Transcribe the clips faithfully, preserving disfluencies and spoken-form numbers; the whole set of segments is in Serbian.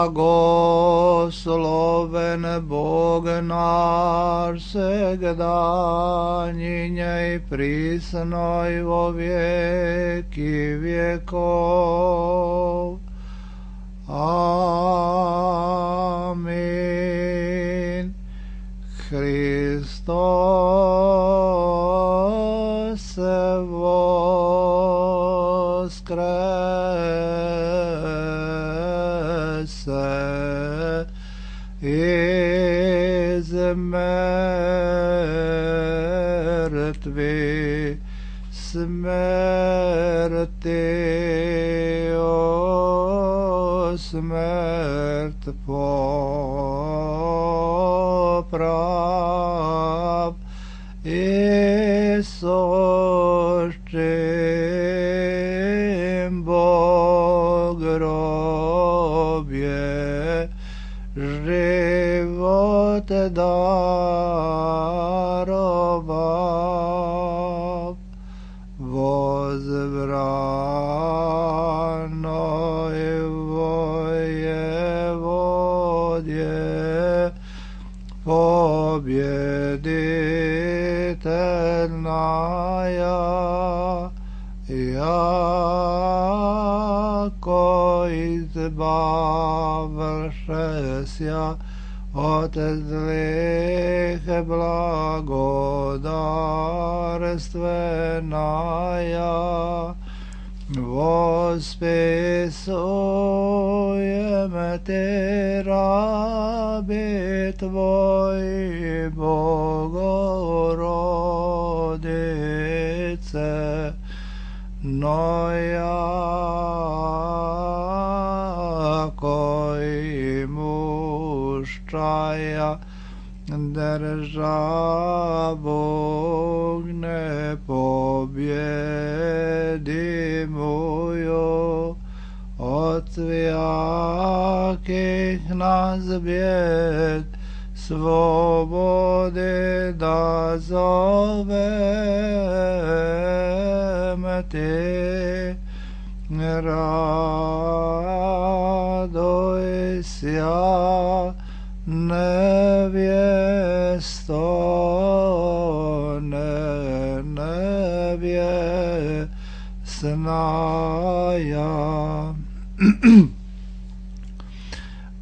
Blagosloven Bog naš segdanjinje i prisno i vo vijeki vjekov. Amin. Hristos voskrese iz mrtvi smrti o smrt poprav i sošćim Bog grobje život darovav. Vozvranoj vojevodje pobjeditelnaja, jako izbavšesja od zlih blagodarstvenaja, vospisujem ti rabi tvoj Bogorodice, no jako i muščaja državu ne pobjedimuju, od svijakih nas bijed svobode da zovem ti. Radoj sja nevjesto, ne nevjesnaja.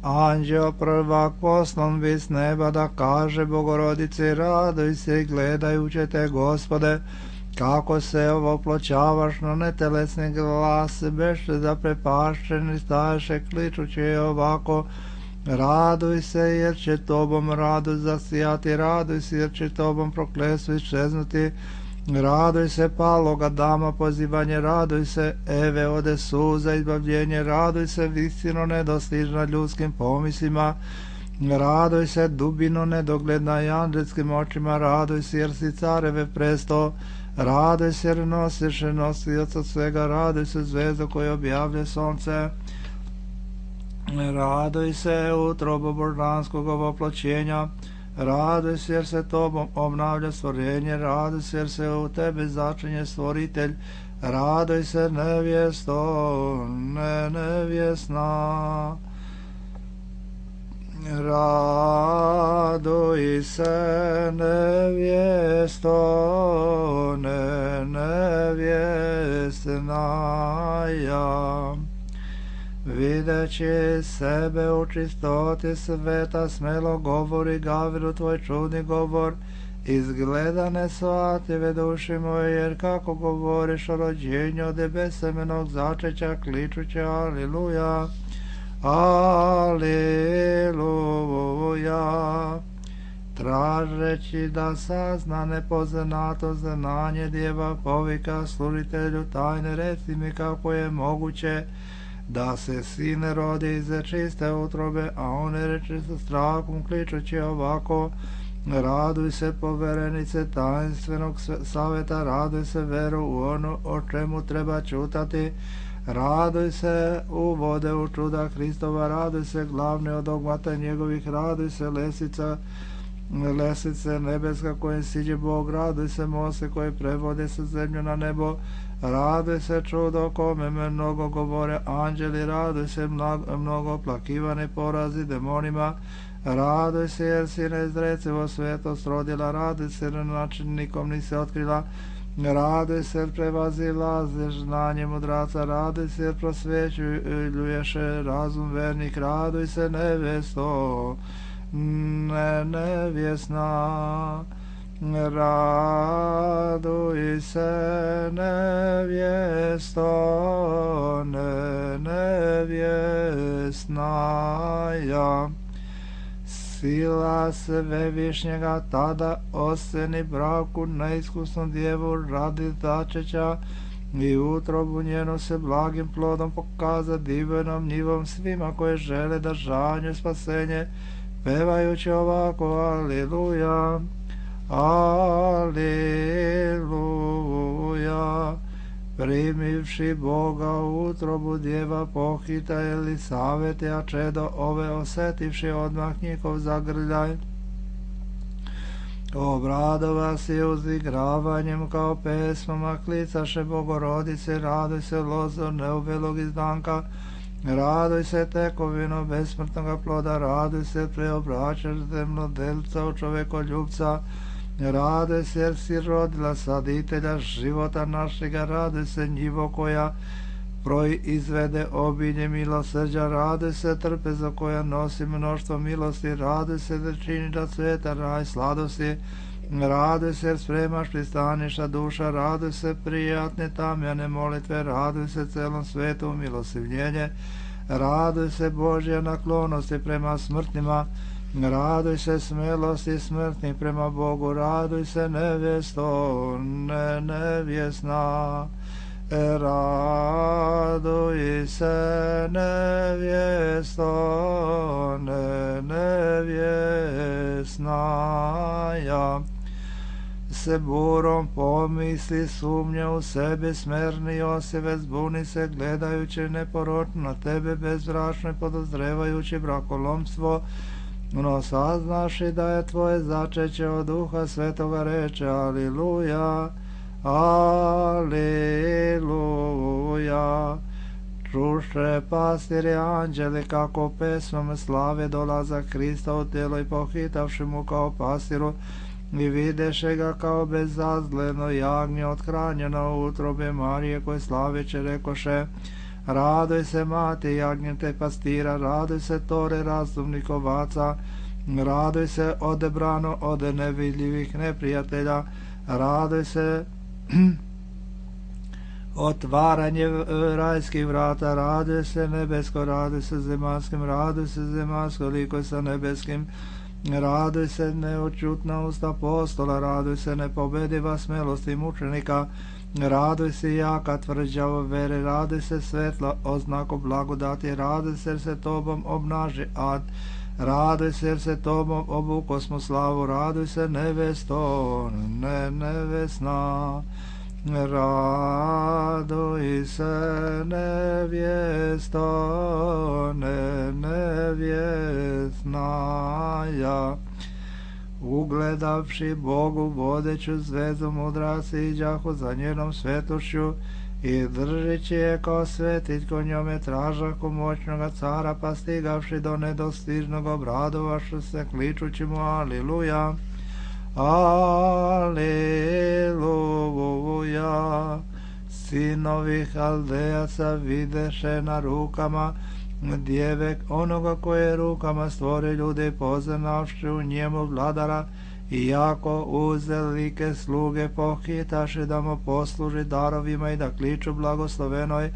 Anđeo prvak poslan bi s neba da kaže Bogorodici, radoj se gledajući te, Gospode, kako se ovoploćavaš na netelesni glas, beše zaprepašćeni staješe kličući ovako, raduj se jer će tobom radu zasijati, raduj se jer će tobom prokletstvo iščeznuti, raduj se paloga dama pozivanje, raduj se Eve ode suza izbavljenje, raduj se visino nedostižna ljudskim pomislima, raduj se dubino nedogledna i anđelskim očima, raduj se jer si careve presto, raduj se jer nosiš nosioca svega, raduj se zvezdo koje objavlja sonce, raduj se utrobo božanskog ovoploćenja, raduj se jer se tobom obnavlja stvorenje, raduj se jer se u tebe začinje stvoritelj, raduj se nevjesto, ne nevjesna. Raduj se nevjesto, ne nevjesnaja. Videći sebe u čistoti sveta, smelo govori Gavrilu tvoj čudni govor, izgleda nesvatljive duši moje, jer kako govoriš o rođenju od besemenog začeća, kličući aliluja, aliluja, tražeći da sazna nepoznato znanje djeva, povika služitelju tajne, reci mi kako je moguće da se sine rodi iz čiste utrobe, a one reče sa strahom kličući ovako, raduj se poverenice tajnstvenog savjeta, raduj se veru u ono o čemu treba čutati, raduj se u vode u čuda Hristova, raduj se glavne od dogmata njegovih, raduj se lesica Lesice nebeska kojim siđe Bog, raduj se mose koji prevode sa zemlju na nebo, raduj se čudo kome me mnogo govore anđeli, raduj se mnogo, mnogo plakivane porazi demonima, raduj se jer si neizrecivo svetost rodila, raduj se jer način nikom nisi otkrila, raduj se jer prevazilaziš znanje mudraca, raduj se jer prosvećuješ razum vernik, raduj se nevesto, ne nevjesna, raduj se nevjesto, ne nevjesnaja. Sila svevišnjega tada oseni braku neiskusnu djevu radi začeća i utrobu njenu se blagim plodom pokaza divnom njivom svima koje žele da žanju spasenje, pevajući ovako aliluja, aliluja. Primivši Boga u utrobu djeva pohita Elisavete, a čedo ove osetivši odmah njihov zagrljaj, obradova se uzigravanjem kao pesmama, klicaše Bogorodice, raduj se lozo neuvelog izdanka, raduj se tekovino besmrtnoga ploda, raduj se preobraćaš zemljodelca u čovekoljubca, raduj se jer si rodila saditelja života našega, raduj se njivo koja proizvede obilje milosrđa, raduj se trpezo koja nosi mnoštvo milosti, raduj se da čini da cveta raj sladosti, raduj se jer spremaš pristaništa duša, raduj se prijatne tamjane molitve, raduj se celom svetu milosivljenje, raduj se Božja naklonosti prema smrtnima, raduj se smelosti smrtnih prema Bogu, raduj se nevjesto, ne nevjesna, raduj se nevjesto, ne nevjesnaja. Se burom pomisli sumnja u sebe, smerni Joseve zbuni se gledajući neporočno na tebe bezbračno i podozrevajući brakolomstvo, no saznaši da je tvoje začeće od Duha Svetoga, reče aliluja, aliluja. Čuše pastiri anđeli kako pesmom slave dolaza Krista u tijelo i pohitavši mu kao pastiru i videše ga kao bezazleno jagnje othranjeno u utrobe Marije koje slaveće rekoše, raduj se mati jagnjete pastira, raduj se tore razumnih ovaca, raduj se odebrano od nevidljivih neprijatelja, raduj se otvaranje rajskih vrata, raduj se nebesko, raduj se zemaljskim, raduj se zemaljsko liko sa nebeskim, raduj se neočutna usta apostola, raduj se nepobediva smelosti mučenika, raduj se jaka tvrđava vere, raduj se svetla oznako blagodati, raduj se jer se tobom obnaži ad, raduj se jer se tobom obuko smo slavu, raduj se nevesto, ne nevesna, raduj se nevjesto, ne nevjesnaja. Ugledavši Bogu vodeću zvezu mudraci iđahu za njenom svetošću i držeći je kao svetić ko njome tražahu moćnoga cara, pa stigavši do nedostižnog obradovašu se kličući mu aliluja, aliluja. Sinovi Haldejaca videše na rukama djevek onoga koje rukama stvori ljude, poznavši u njemu vladara, i jako uzelike sluge pohitaše da mu posluži darovima i da kliču blagoslovenoj,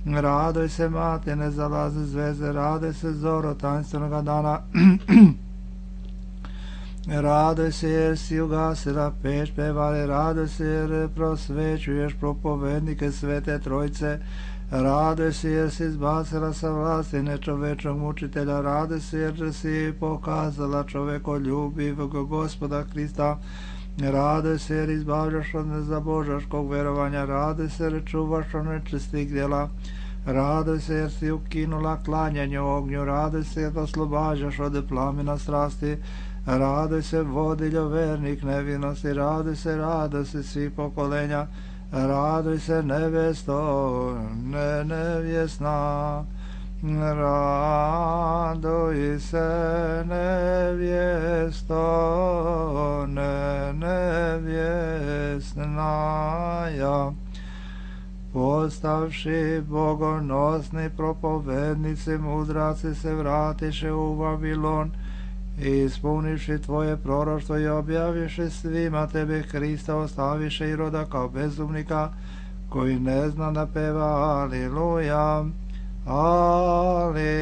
raduj se mati ne zalaze zveze, raduj se zoro tanstvenoga dana, raduj se jer si ugasila peć pevale, raduj se jer prosvećuješ propovednike Svete Trojce, raduj se jer si izbacila sa vlasti nečovečnog mučitelja, raduj se jer si pokazala čovekoljubivog Gospoda Krista, raduj se jer izbavljaš od nezabožaškog verovanja, raduj se jer čuvaš od nečistih djela, Raduj se jer si ukinula klanjanje ognju, raduj se jer oslobađaš od plamena strasti, raduj se vodiljo vernik nevinosti, raduj se, raduj se svih pokolenja, raduj se nevesto, ne nevjesna, raduj se nevjesto, ne nevjesnaja. Postavši bogonosni propovednici, mudraci se vratiše u Vavilon, ispunivši tvoje proroštvo i objaviše svima tebe Krista, ostaviše i roda kao bezumnika, koji ne zna da peva Aliluja, Aliluja.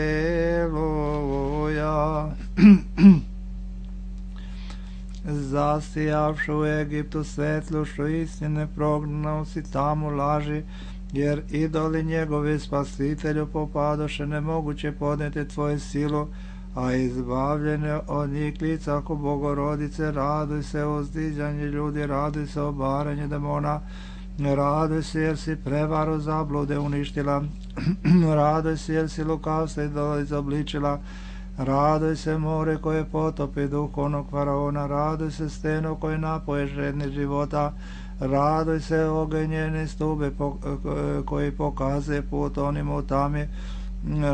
Zasijavši u Egiptu svetlušu istine, prognao si tamo laži, jer idoli njegovi spasitelju popadoše, nemoguće podnijeti tvoju silu, a izbavljene od njih lica ako Bogorodice. Raduj se o uzdiđanju ljudi, raduj se o baranju demona, raduj se jer si prevaru zablude uništila, raduj se jer si lukavstvo idola izobličila, raduj se more koje potopi duh onog faraona, raduj se steno koje napoje žedni života, raduj se ogenjeni stube koji pokazuje put onima u tami,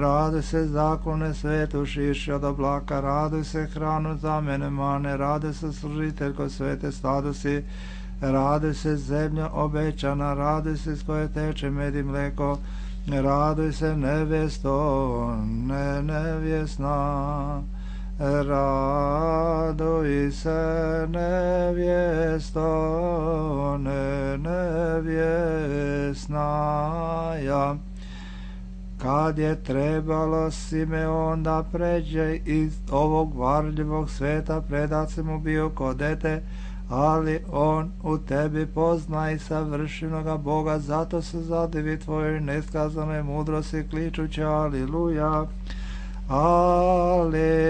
raduj se zaklone svetu šiši od oblaka, raduj se hranu za mene mane, raduj se služitelj ko svete stadosi, raduj se zemlja obećana, raduj se s koje teče med i mleko, raduj se nevesto, ne nevjesna, raduj se nevjesto, ne nevjesnaja. Kad je trebalo Simeon da pređe iz ovog varljivog sveta, predac mu bio ko dete, ali on u tebi pozna i savršenoga Boga, zato se zadivi tvojoj neskazanoj mudrosti, kličući Aliluja, Aliluja.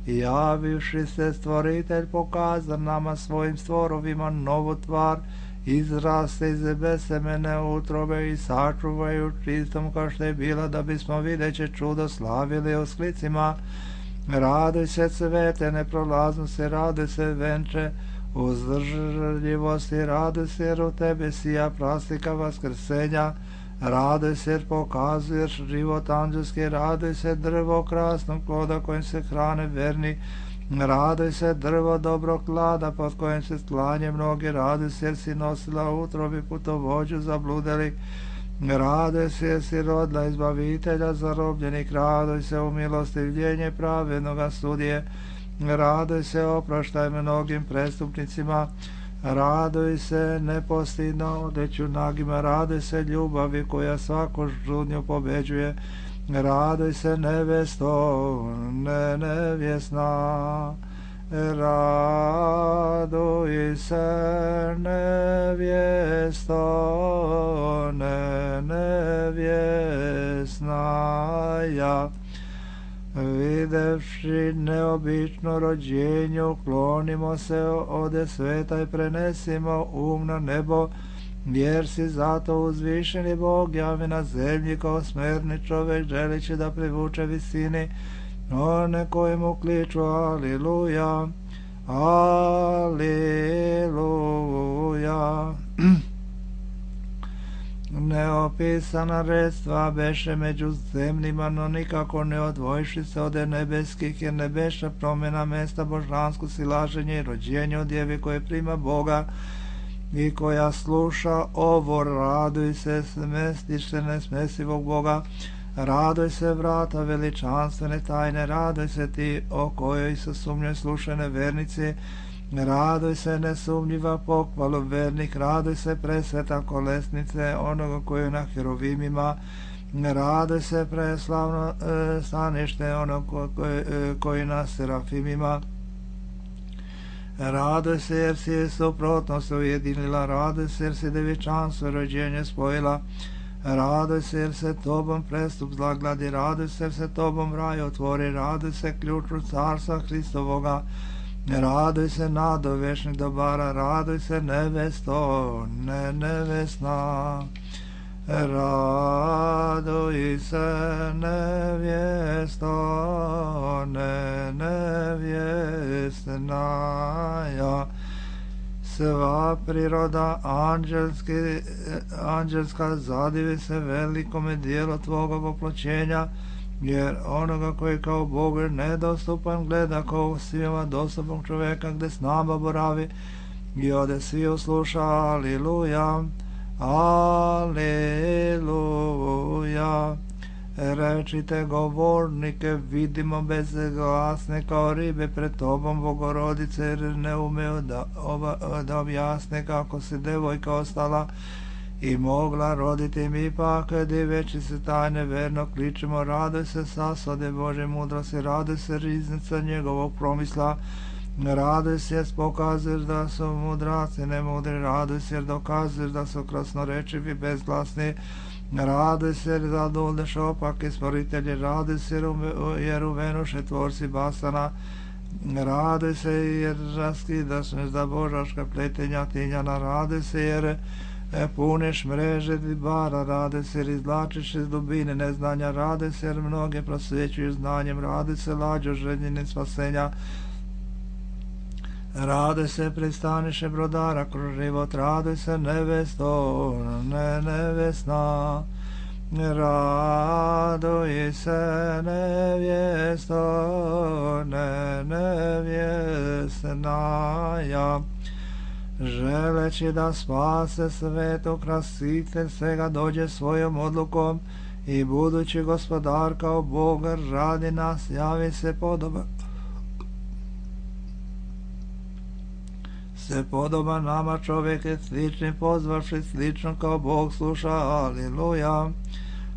Javivši se stvoritelj pokaza nama svojim stvorovima novu tvar, izraste iz besemene utrobe i sačuvaju čistom kao što je bila, da bismo videće čudo slavili u sklicima. Raduj se cvete neprolaznosti, raduj se venče uzdržljivosti, raduj se jer u tebe sija prastika vaskrsenja, raduj se jer pokazuješ život anđelski, raduj se drvo krasnog ploda kojim se hrane verni, raduj se drvo dobrog klada pod kojim se sklanje mnogi, raduj se jer si nosila u utrobi putovođu zabludeli, raduj se jer si rodila izbavitelja zarobljenih, raduj se u milostivljenje pravednoga sudije, raduj se oproštaj mnogim prestupnicima, raduj se nepostidno odeću nagima, raduj se ljubavi koja svaku žudnju pobeđuje, raduj se nevesto, ne nevjesna, raduj se nevjesto, ne nevjesnaja. Videvši neobično rođenje, uklonimo se ode sveta i prenesimo um na nebo, jer si zato uzvišeni Bog javi na zemlji kao smerni čovek, želići da privuče visini one koji mu kliču Aliluja, Aliluja. Neopisana redstva beše među zemljima, no nikako ne odvojiši se ode nebeskih, jer nebeša promjena mesta božansko silaženje i rođenje od djevi koje prima Boga i koja sluša ovo. Raduj se smestiše nesmesivog Boga, raduj se vrata veličanstvene tajne, raduj se ti o kojoj se sumnjoj slušane vernici, raduj se nesumnjiva pohvalu vernih, raduj se presveta kolesnice onoga koji je na herovimima, raduj se preslavno e, stanište onog koji, e, koji na serafimima, raduj se jer si suprotnost ujedinila, raduj se jer si devičanstvo i rođenje spojila, raduj se jer se tobom prestup zlagladi, raduj se jer se tobom raj otvori, raduj se ključu carstva Hristovoga, raduj se nado večnih dobara, raduj se nevesto, ne nevesna, Raduj se nevjesto, ne nevjesnaja, sva priroda anđelski, anđelska zadivi se velikome dijelu tvoga voploćenja, jer onoga koji kao Bog nedostupan gleda kao svima dostupnog čoveka gde s nama boravi i ode svi usluša. Aliluja, aliluja. Rečite govornike, vidimo bezglasne kao ribe pred tobom, Bogorodice, jer ne umeju da, da objasne kako se devojka ostala i mogla roditi. Mi pak, diveći se tajne, verno kličemo, raduj se sasode Bože mudrosti, raduj se riznica njegovog promisla, raduj se jer pokazuješ da su mudraci nemudri, raduj se jer dokazuješ da su krasnorečivi bezglasni, raduj se jer zadovolješ opake stvoritelji, raduj se jer uvenuše tvorci basana, raduj se jer raskidaš za božaška pletenja tinjana, raduj se jer puneš mreže ribara, raduj se jer izvlačiš iz dubine neznanja, raduj se jer mnoge prosvećuješ znanjem, raduj se lađo željene spasenja, raduj se pristaniše brodara kroz život, raduj se nevesto, ne nevesna, raduj se nevjesto, ne nevjesnaja, želeći da spase svetu krasitelj svega dođe svojom odlukom i budući gospodar kao Bog radi nas javi se podoban se podoba nama čovjek slični pozvavši slično kao Bog sluša. Aliluja,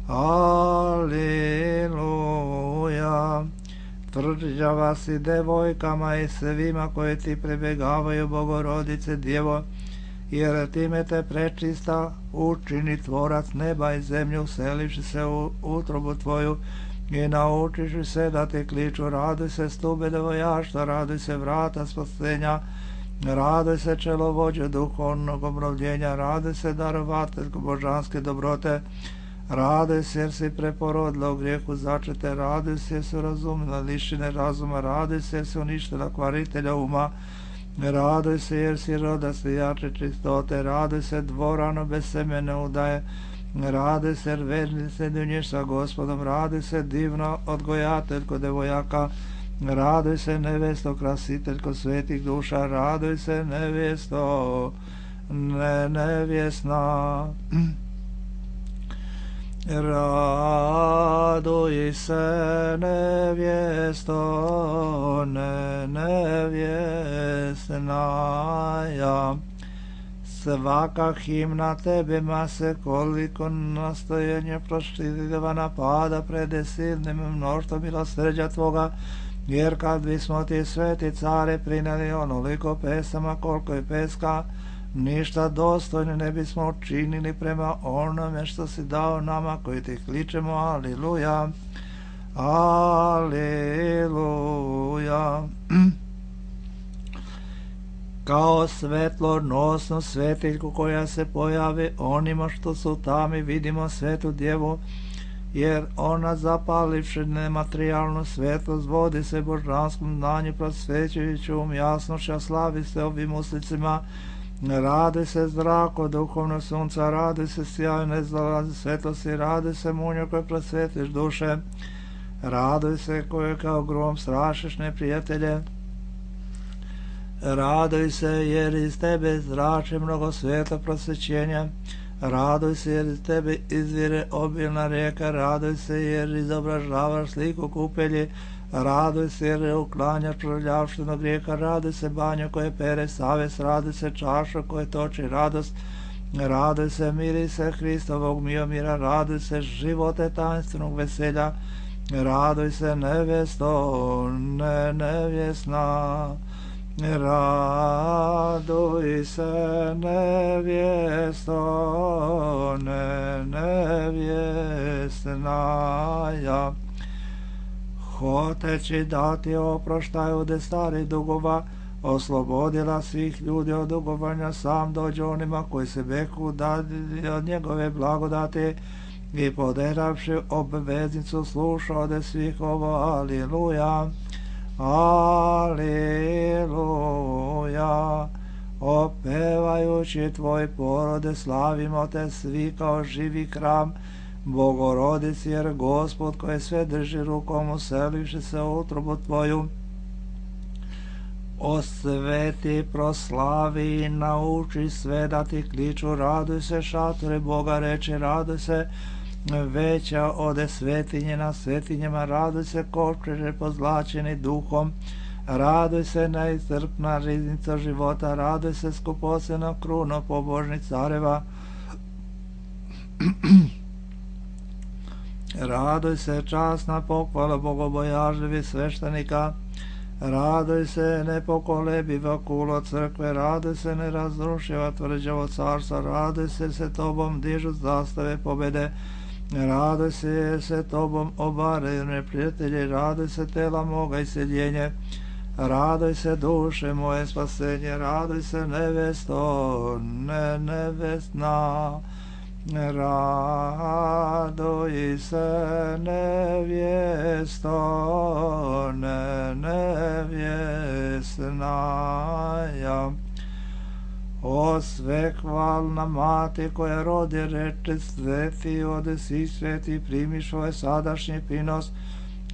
aliluja. Tvrđava si devojkama i svima koje ti prebegavaju, Bogorodice Djevo, jer time te prečista učini tvorac neba i zemlju, uselivši se u utrobu tvoju i naučiš se da te kliču. Raduj se stube devojaštva, raduj se vrata spasenja, raduj se čelovođe duhovnog obnovljenja, raduj se darovateljko božanske dobrote, raduj se jer si preporodila u grijehu začete, raduj se jer si razumila lišine razuma, raduj se jer si uništila kvaritelja uma, raduj se jer si roda svijače čistote, raduj se dvorano bez semene udaje, raduj se jer verni se dunješ sa Gospodom, raduj se divno odgojateljko devojaka, raduj se nevesto krasiteljko svetih duša, raduj se nevesto ne nevjesna, raduj se nevjesto ne nevjesnaja, svaka himna tebima se koliko nastojenje proštivana pada pred silnim mnoštvom milosrđa tvoga, jer kad bismo ti sveti care prineli onoliko pesama koliko je peska, ništa dostojno ne bismo učinili prema onome što si dao nama koji ti kličemo. Aliluja, aliluja. Kao svetlonosnu svetiljku koja se pojavi onima što su tami, vidimo svetu djevu, jer ona zapalivši nematerijalnu svetlost vodi se božanskom znanju prosvećujućom jasnošća, slavi se ovim uslicima, raduj se zrako duhovno sunca, raduj se sjajne zalazi svetlosti, raduj se munjo koje prosvetiš duše, raduj se koje kao grom strašiš neprijatelje, raduj se jer iz tebe zrači mnogo svjetla prosvećenja, raduj se jer iz tebe izvire obilna rijeka, raduj se jer izobražavaš sliku kupelji, raduj se jer uklanjaš prljavštinu grijeha, raduj se banjo koje pere savest, raduj se čašo koje toči radost, raduj se mirise Hristovog miomira, raduj se živote tajnstvenog veselja, raduj se nevesto ne nevjesna, raduj se nevjesto ne nevjesnaja, hoteći da ti oproštaju de starih dugova, oslobodila svih ljudi od dugovanja, sam dođe onima koji se beku dadi od njegove blagodati i poderavši obveznicu sluša ode svih ovo. Aliluja, aliluja. Opevajući tvoj porode, slavimo te svi kao živi hram Bogorodici, jer Gospod koji sve drži rukom uselivši se u utrobu tvoju, osveti, proslavi i nauči sve da ti kliču. Raduj se, šatore Boga, reči, raduj se, veća ode svetinje na svetinjama, raduj se, kovčeže pozlačeni duhom, raduj se, neiscrpna riznica života, raduj se, skupocena kruno pobožnih careva, raduj se, časna pohvala bogobojažljivih sveštenika, raduj se, nepokolebiva kulo crkve, raduj se, nerazrušiva tvrđavo carstva, raduj se, se tobom dižu zastave pobede, raduj se, jer se tobom obaraju neprijatelji, raduj se, tela moga iseljenje, raduj se, duše moje spasenje, raduj se, nevesto, ne nevestna, raduj se, nevjesto, ne nevjesnaja. O svehvalna mati koja rodi, reče, sveti odesi, sveti primiš ovaj sadašnji prinos,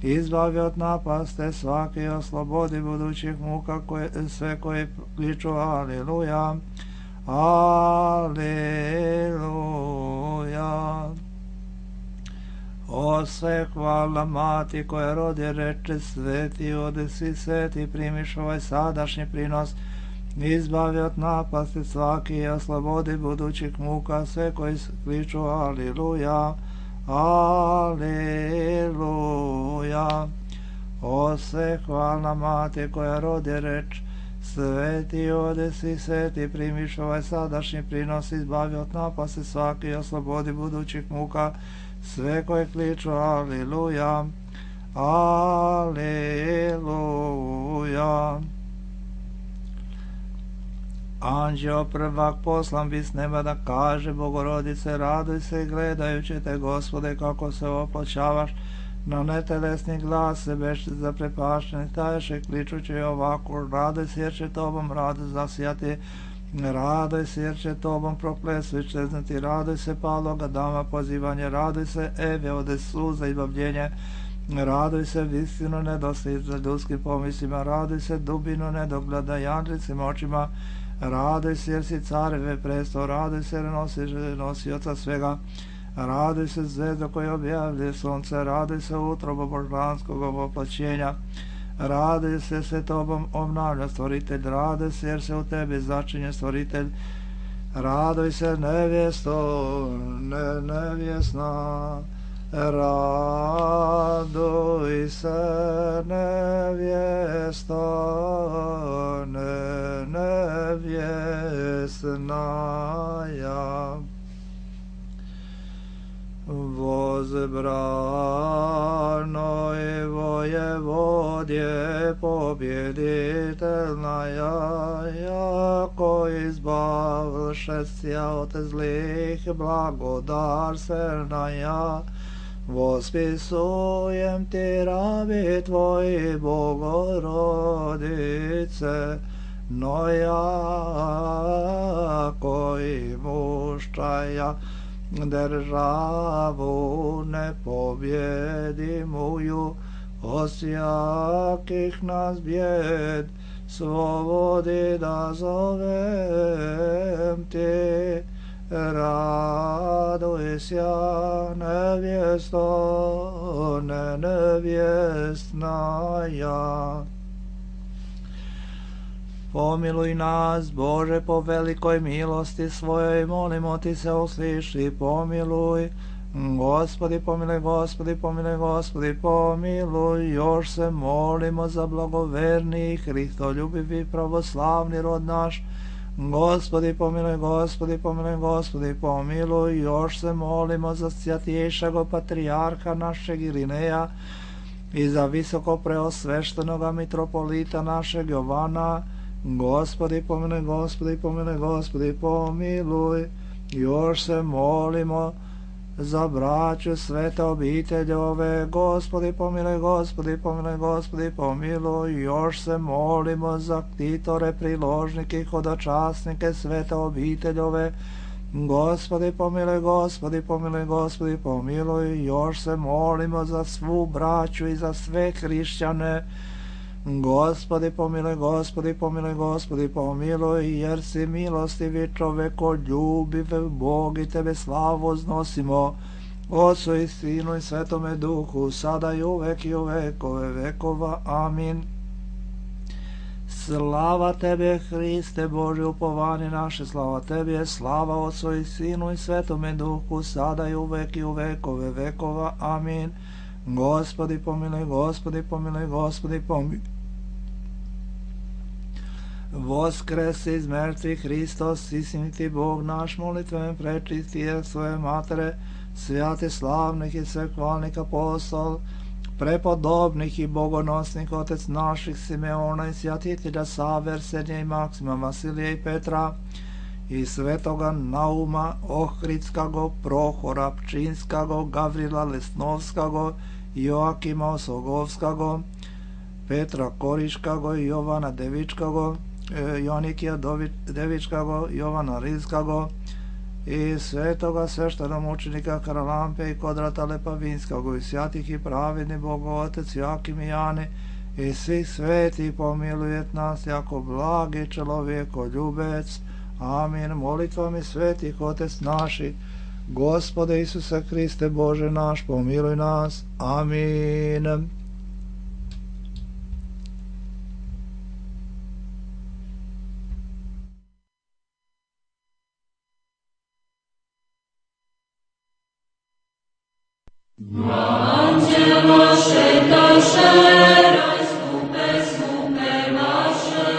izbavi od napaste svake i oslobodi budućih muka koje, sve koje kliču. Aliluja, aliluja. O svehvalna mati koja rodi, reče, sveti odesi, sveti primiš ovaj sadašnji prinos, izbavi od napasti svaki i oslobodi budućih muka sve koji kliču. Aliluja, aliluja. O svehvalna mati koja rodi, reč, sveti odesi, sveti primiš ovaj sadašnji prinos, izbavi od napasti svaki i oslobodi budućih muka sve koji kliču. Aliluja, aliluja. Anđeo prvak poslan bi s neba da kaže Bogorodice, raduj se, gledajući te, Gospode, kako se opločavaš na netelesni glas, se beš zaprepašteni staješe, kličući ovako, raduj se, jer će tobom radost zasijati, raduj se, jer će tobom prokletstvo iščeznati, raduj se, paloga dama pozivanje, raduj se, Eve, ode suza i bavljenje, raduj se, vistinu nedostižna ljudskim pomislima, raduj se, dubinu nedogleda janđicim očima, raduj se, jer si careve presto, raduj se, jer nosiš nosioca svega, raduj se, zvezdo koji objavljuje sunce, raduj se, utrobo božanskog oplaćenja, raduj se, se tobom obnavlja stvoritelj, raduj se, jer se u tebi začinje stvoritelj, raduj se, nevjesto, ne nevjesna, raduj se, nevjesto, ne nevjesnaja. Возбрано и воеводje победительная, яко избавлше ся от злих, благодарственная, восписуем ти раби твои, Богородице, но яко имущая державу непобедимую, осяких нас бед, свободи да зовем ти, радуйся, невесто, не невестная. Pomiluj nas, Bože, po velikoj milosti svojoj, molimo ti se, usliši, pomiluj. Gospodi, pomiluj, Gospodi, pomiluj, Gospodi, pomiluj. Još se molimo za blagoverni, hristoljubivi, pravoslavni rod naš. Gospodi, pomiluj, Gospodi, pomiluj, Gospodi, pomiluj. Još se molimo za svjatjejšeg patrijarha našeg Irineja i za visoko preosveštenoga mitropolita našeg Jovana, Gospodi pomiluj, Gospodi pomiluj, Gospodi pomiluj. Još se molimo za braću svete obiteljove. Gospodi pomiluj, Gospodi pomiluj, Gospodi pomiluj. Još se molimo za ktitore, priložnike i hodočasnike svete obiteljove. Gospodi pomiluj, Gospodi pomiluj, Gospodi pomiluj. Još se molimo za svu braću i za sve hrišćane. Gospodi pomiluj, Gospodi pomiluj, Gospodi pomiluj, jer si milostivi čovekoljubiv Bog i tebe slavu uznosimo, Otcu i Sinu i Svetome Duhu, sada i uvek i u vekove vekova. Amin. Slava tebe, Hriste Boži, upovanje naše, slava tebi, slava Otcu i Sinu i Svetome Duhu, sada i uvek i u vekove vekova. Amin. Gospodi pomiluj, Gospodi pomiluj, Gospodi pomiluj. Voskrese iz mrtvih Hristos, istiniti Bog naš, molitven prečistije svoje matere, svjate slavnih i svekvalnih apostol, prepodobnih i bogonosnih otec naših Simeona i svjatitelja Save, Arsenija i Maksima, Vasilija i Petra, i svetoga Nauma Ohridskago, Prohora Pčinskago, Gavrila Lesnovskago, Joakima Osogovskago, Petra Koriškago, Jovana Devičkago, Jonikija Devičkago, Jovana Rizkago i svetoga sveštenomučenika Karalampe i Kodrata Lepavinskago i svjatih i pravedni Bogo Otec Joakim i Jani i svih sveti pomilujet nas jako blagi čelovjekoljubec. Amin. Molitvami svetih Otec naši, Gospode Isuse Hriste Bože naš, pomiluj nas. Amin. Anđelo šetaše, skupe, skupe naše,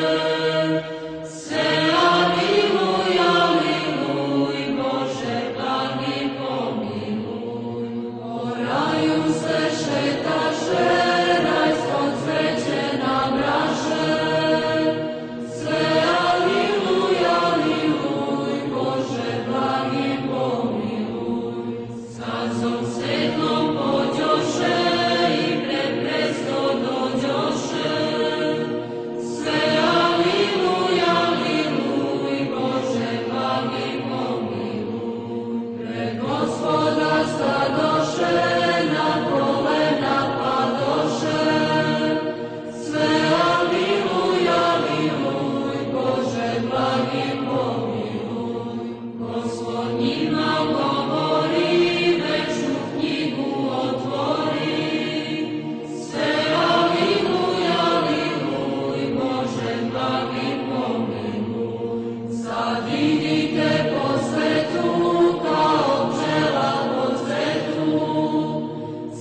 se aliluj, aliluj, Bože blagi pomiluj. Po raju se šetaše, rajsko cveće nabraše, se aliluj, aliluj, Bože blagi pomiluj. Sazom svetlom pođoše i pred presto dođoše, sve aliluj, aliluj, Bože blagi pomiluj. Pred Gospoda stadoše, na kolena padoše, sve aliluj, aliluj, Bože blagi pomiluj. Gospod njima govori, večnu knjigu otvori, sve aliluj, aliluj, Bože blagi pomiluj. Sad idite po svetu, kao pčela po cvetu,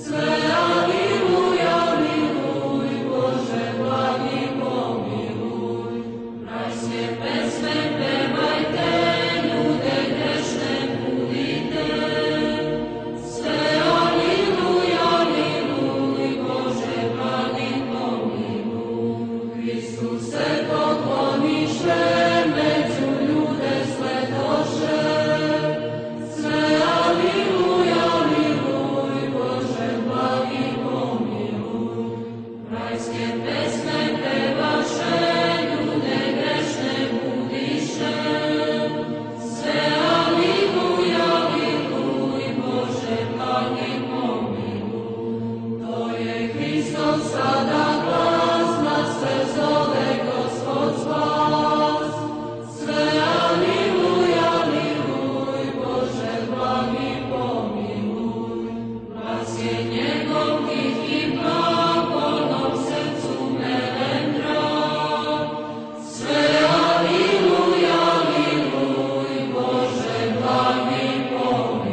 sve aliluj, aliluj, Bože blagi pomiluj. Rajske pesme pevajte, ljude grešne budite, sve aliluj, aliluj, Bože blagi pomiluj. Hristuse pokloniše, među ljude sledoše, sve aliluj, aliluj, Bože blagi pomiluj. Rajske pesme pevaše, ljude grešne budiše, sve aliluj, aliluj, Bože blagi pomiluj. To je Hristov sada glas, nas sve zove Gospod spas, sve aliluj, aliluj, Bože blagi pomiluj. Glas je njegov tihi blag, polnom srcu melendra, sve aliluj, aliluj, Bože blagi pomiluj.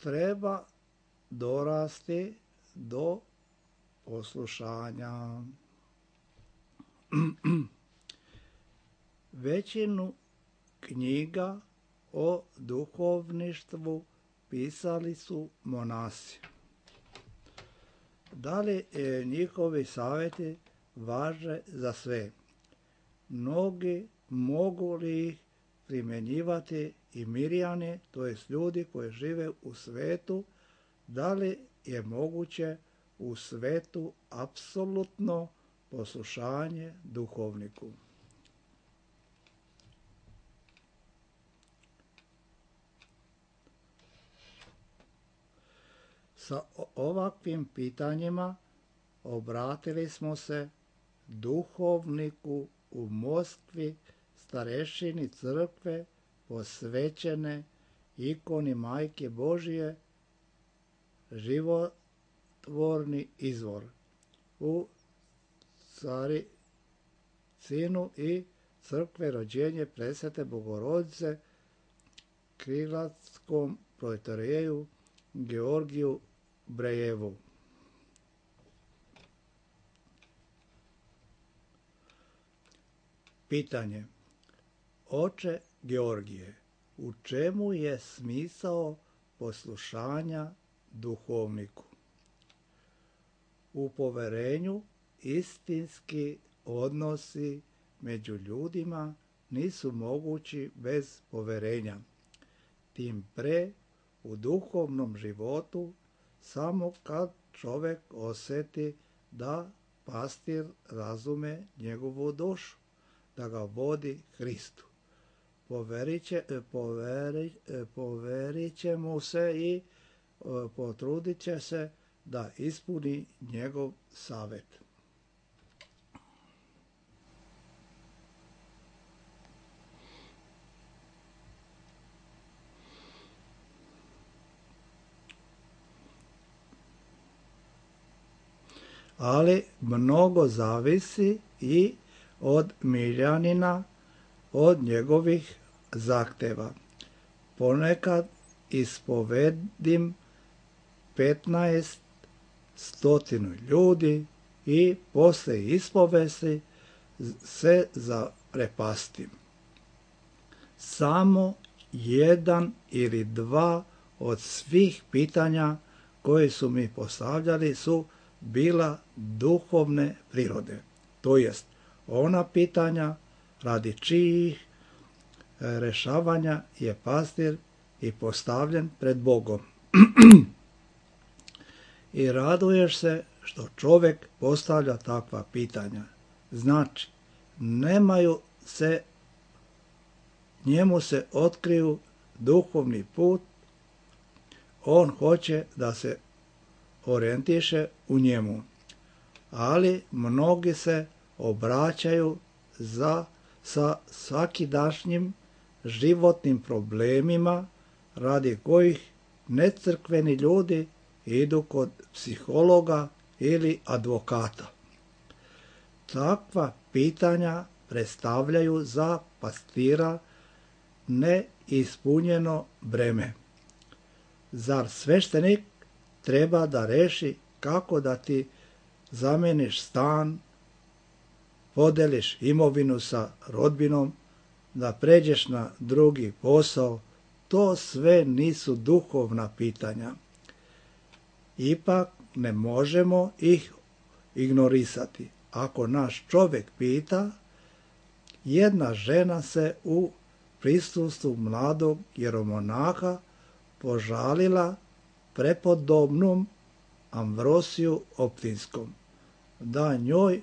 Treba dorasti do poslušanja. Većinu knjiga o duhovništvu pisali su monasi. Da li e, njihovi savjeti važe za sve? Mnogi mogu li ih primjenjivati i mirjani, to jest ljudi koji žive u svetu? Da li je moguće u svetu apsolutno poslušanje duhovniku? Sa ovakvim pitanjima obratili smo se duhovniku u Moskvi, starešini crkve posvećene ikoni Majke Božije, životvorni izvor, u Caricinu i crkve rođenje Presvete Bogorodice, Krilatskom protoijereju Georgiju Brejevu. Pitanje. Oče Georgije, u čemu je smisao poslušanja duhovniku? U poverenju istinski odnosi među ljudima nisu mogući bez poverenja. Tim pre u duhovnom životu samo kad čovjek osjeti da pastir razume njegovu dušu, da ga vodi Hristu. Poverit će, poveri, poverit će mu se i potrudit će se da ispuni njegov savjet. Ali mnogo zavisi i od miljanina, od njegovih zahteva. Ponekad ispovedim petnaest stotinu ljudi i posle ispovesti se zaprepastim. Samo jedan ili dva od svih pitanja koje su mi postavljali su bila duhovne prirode. To jest, ona pitanja radi čijih rešavanja je pastir i postavljen pred Bogom. I raduješ se što čovjek postavlja takva pitanja. Znači, nemaju se, njemu se otkriju duhovni put, on hoće da se orijentiše u njemu. Ali mnogi se obraćaju za, sa svakidašnjim životnim problemima radi kojih necrkveni ljudi idu kod psihologa ili advokata. Takva pitanja predstavljaju za pastira neispunjeno breme. Zar sveštenik treba da reši kako da ti zameniš stan, podeliš imovinu sa rodbinom, da pređeš na drugi posao? To sve nisu duhovna pitanja. Ipak ne možemo ih ignorisati. Ako naš čovjek pita, jedna žena se u prisustvu mladog jeromonaha požalila prepodobnom Amvrosiju Optinskom, da njoj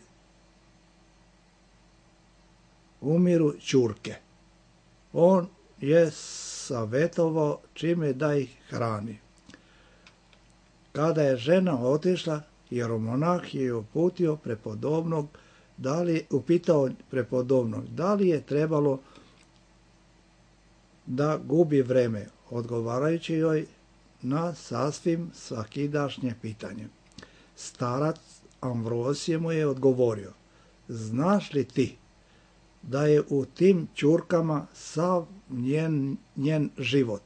umiru ćurke. On je savjetovao čime da ih hrani. Kada je žena otišla, jeromonah je uputio prepodobnog, da li, upitao prepodobnog da li je trebalo da gubi vreme, odgovarajući joj na sasvim svakidašnje pitanje. Starac Amvrosije mu je odgovorio: znaš li ti da je u tim ćurkama sav njen, njen život?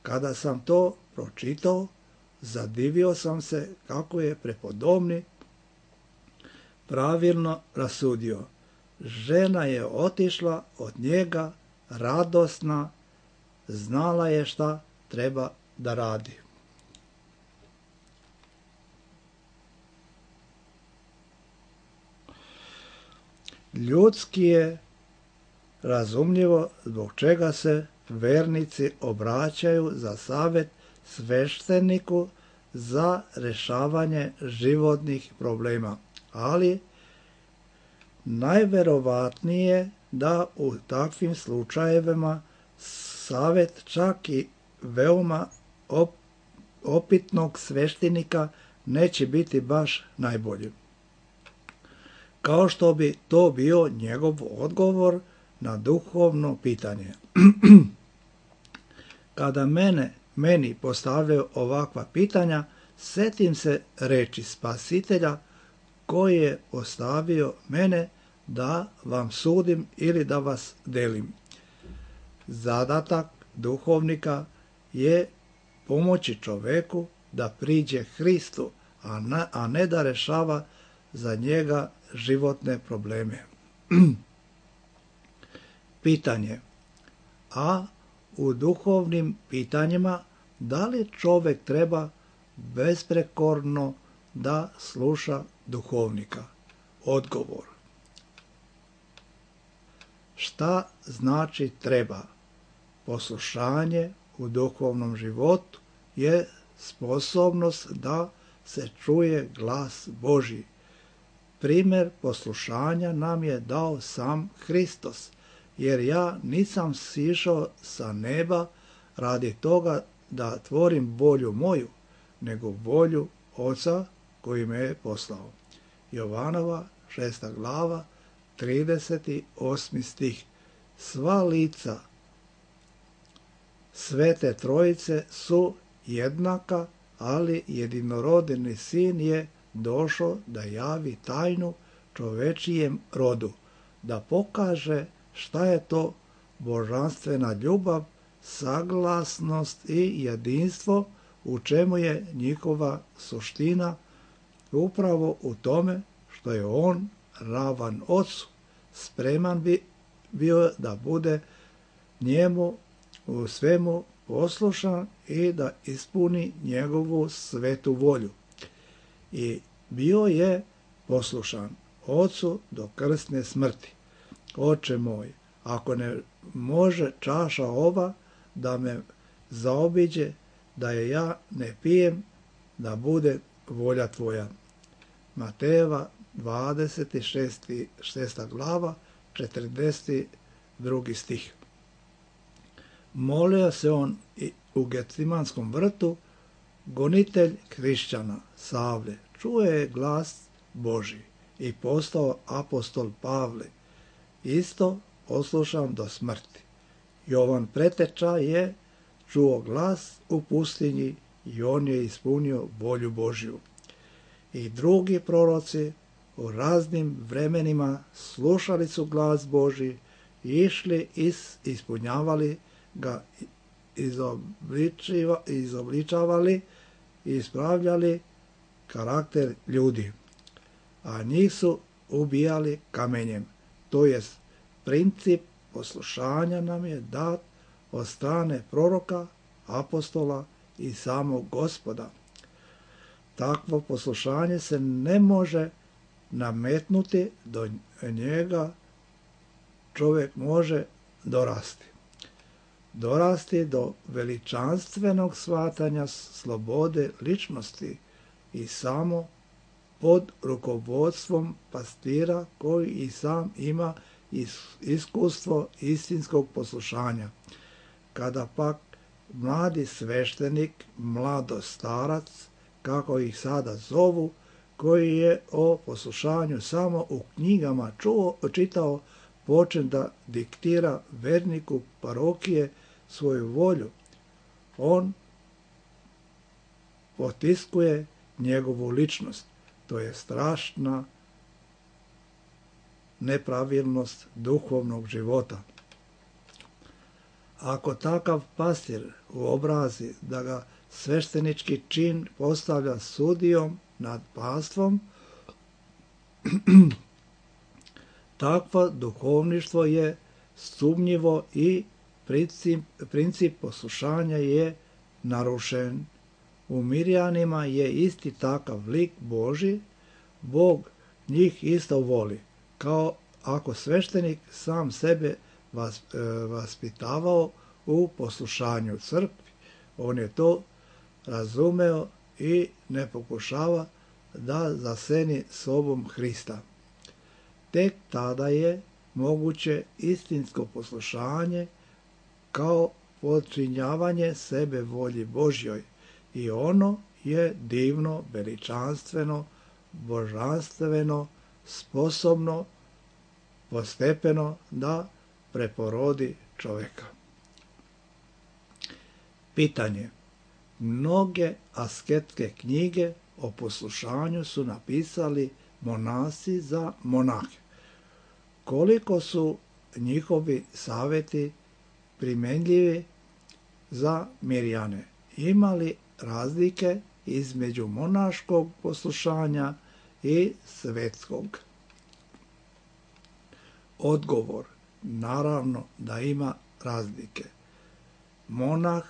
Kada sam to pročitao, zadivio sam se kako je prepodobni pravilno rasudio. Žena je otišla od njega radosna, znala je šta treba da radi. Ljudski je razumljivo zbog čega se vernici obraćaju za savjet svešteniku za rješavanje životnih problema, ali najverovatnije da u takvim slučajevima savjet čak i veoma op, opitnog sveštenika neće biti baš najbolji. Kao što bi to bio njegov odgovor na duhovno pitanje. Kada mene, meni postavljaju ovakva pitanja, setim se reči Spasitelja koji je ostavio mene da vam sudim ili da vas delim. Zadatak duhovnika je pomoći čoveku da priđe Hristu, a ne, a ne da rešava za njega životne probleme. Pitanje. A u duhovnim pitanjima da li čovek treba besprekorno da sluša duhovnika? Odgovor. Šta znači treba? Poslušanje u duhovnom životu je sposobnost da se čuje glas Božji. Primer poslušanja nam je dao sam Hristos, jer ja nisam sišao sa neba radi toga da tvorim volju moju, nego volju Oca koji me je poslao. Jovanova šesta glava, trideset osmi stih. Sva lica Svete Trojice su jednaka, ali jedinorodni sin je došao da javi tajnu čovečijem rodu, da pokaže šta je to božanstvena ljubav, saglasnost i jedinstvo, u čemu je njihova suština, upravo u tome što je on ravan Ocu, spreman bi bio da bude njemu u svemu poslušan i da ispuni njegovu svetu volju. I bio je poslušan Ocu do krsne smrti. Oče moj, ako ne može čaša ova da me zaobiđe, da je ja ne pijem, da bude volja tvoja. Matejeva dvadeset šesta glava, četrdeset drugi stih. Molio se on i u Gecemanskom vrtu, gonitelj hrišćana Savle, čuje je glas Božji i postao apostol Pavle, isto poslušan do smrti. Jovan Preteča je čuo glas u pustinji i on je ispunio volju Božju. I drugi proroci u raznim vremenima slušali su glas Božji, išli i ispunjavali ga, izobličiva, izobličavali i ispravljali karakter ljudi, a njih su ubijali kamenjem. To jest, princip poslušanja nam je dat od strane proroka, apostola i samog Gospoda. Takvo poslušanje se ne može nametnuti, do njega čovjek može dorasti. Dorasti do veličanstvenog shvatanja slobode ličnosti i samo pod rukovodstvom pastira koji i sam ima iskustvo istinskog poslušanja. Kada pak mladi sveštenik, mladostarac, kako ih sada zovu, koji je o poslušanju samo u knjigama čuo, čitao, počne da diktira verniku parokije svoju volju, on potiskuje njegovu ličnost. To je strašna nepravilnost duhovnog života. Ako takav pastir uobrazi da ga sveštenički čin postavlja sudijom nad pastvom, Takvo duhovništvo je sumnjivo i princip, princip poslušanja je narušen. U Mirjanima je isti takav lik Božji, Bog njih isto voli, kao ako sveštenik sam sebe vas, e, vaspitavao u poslušanju crkvi. On je to razumeo i ne pokušava da zaseni sobom Hrista. Tek tada je moguće istinsko poslušanje kao podčinjavanje sebe volji Božjoj i ono je divno, veličanstveno, božanstveno, sposobno, postepeno da preporodi čovjeka. Pitanje. Mnoge asketske knjige o poslušanju su napisali monasi za monahe. Koliko su njihovi savjeti primjenljivi za Mirjane? Ima li razlike između monaškog poslušanja i svetskog? Odgovor. Naravno da ima razlike. Monah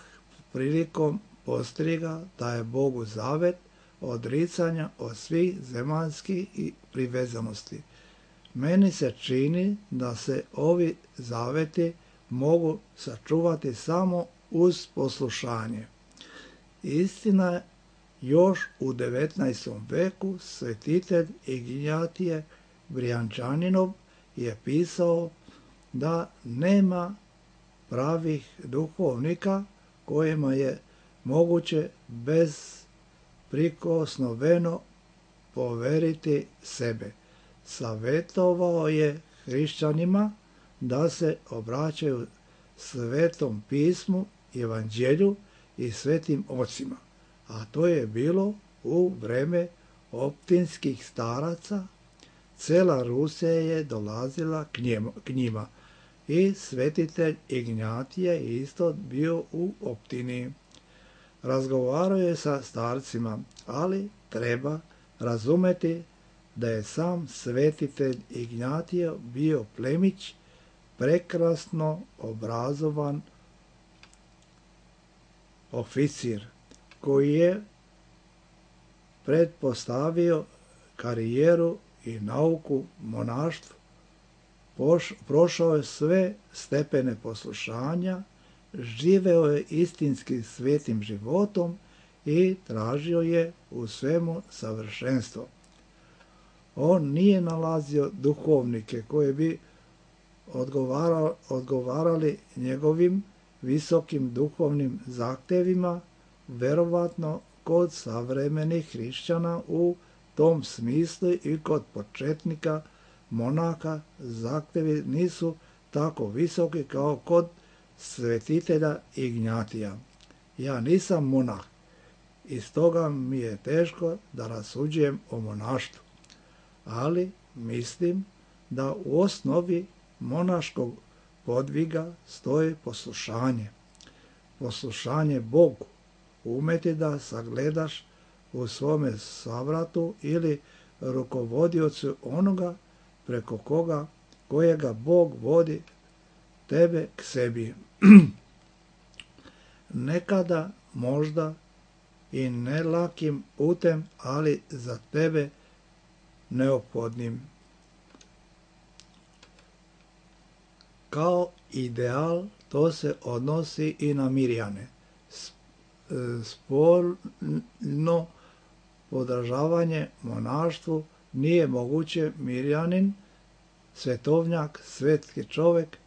prilikom postriga daje Bogu zavet odricanja od svih zemaljskih i privezanosti. Meni se čini da se ovi zaveti mogu sačuvati samo uz poslušanje. Istina, još u devetnaestom veku svetitelj Ignjatije Brijančaninov je pisao da nema pravih duhovnika kojima je moguće bezprikosnoveno poveriti sebe. Savjetovao je hrišćanima da se obraćaju Svetom pismu, Evanđelju i svetim ocima, a to je bilo u vreme optinskih staraca. Cela Rusija je dolazila k njima i svetitelj Ignjatije je isto bio u optini. Razgovarao je sa starcima, ali treba razumeti da je sam svetitelj Ignjatije bio plemić, prekrasno obrazovan oficir koji je pretpostavio karijeru i nauku monaštvu. Prošao je sve stepene poslušanja, živeo je istinski svetim životom i tražio je u svemu savršenstvo. On nije nalazio duhovnike koji bi odgovarali, odgovarali njegovim visokim duhovnim zahtjevima, verovatno kod savremenih hrišćana u tom smislu i kod početnika monaka zahtjevi nisu tako visoki kao kod svetitelja Ignjatija. Ja nisam monah i stoga mi je teško da rasuđujem o monaštvu, ali mislim da u osnovi monaškog podviga stoji poslušanje. Poslušanje Bogu, umeti da sagledaš u svome savratu ili rukovodiocu onoga preko koga, kojega Bog vodi tebe k sebi. Nekada možda i ne lakim putem, ali za tebe neophodnim. Kao ideal to se odnosi i na Mirjane. Spolno podržavanje monaštvu nije moguće. Mirjanin, svetovnjak, svetski čovjek,